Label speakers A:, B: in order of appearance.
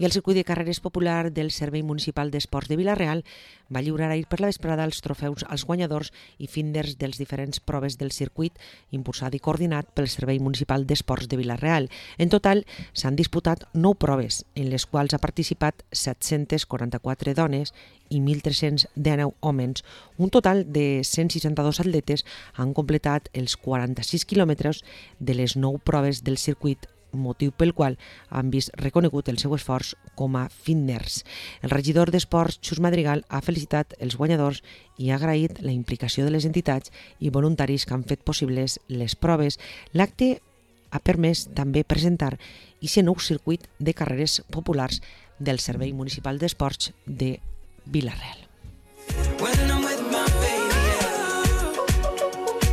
A: I el circuit de carreres popular del Servei Municipal d'Esports de Vila-real va lliurar ahir per la vesprada els trofeus als guanyadors i finders dels diferents proves del circuit, impulsat i coordinat pel Servei Municipal d'Esports de Vila-real. En total, s'han disputat 9 proves, en les quals ha participat 744 dones i 1.319 homes. Un total de 162 atletes han completat els 46 quilòmetres de les 9 proves del circuit, motiu pel qual han vist reconegut el seu esforç com a finders. El regidor d'Esports, Xus Madrigal, ha felicitat els guanyadors i ha agraït la implicació de les entitats i voluntaris que han fet possibles les proves. L'acte ha permès també presentar aquest nou circuit de carreres populars del Servei Municipal d'Esports de Vila-real.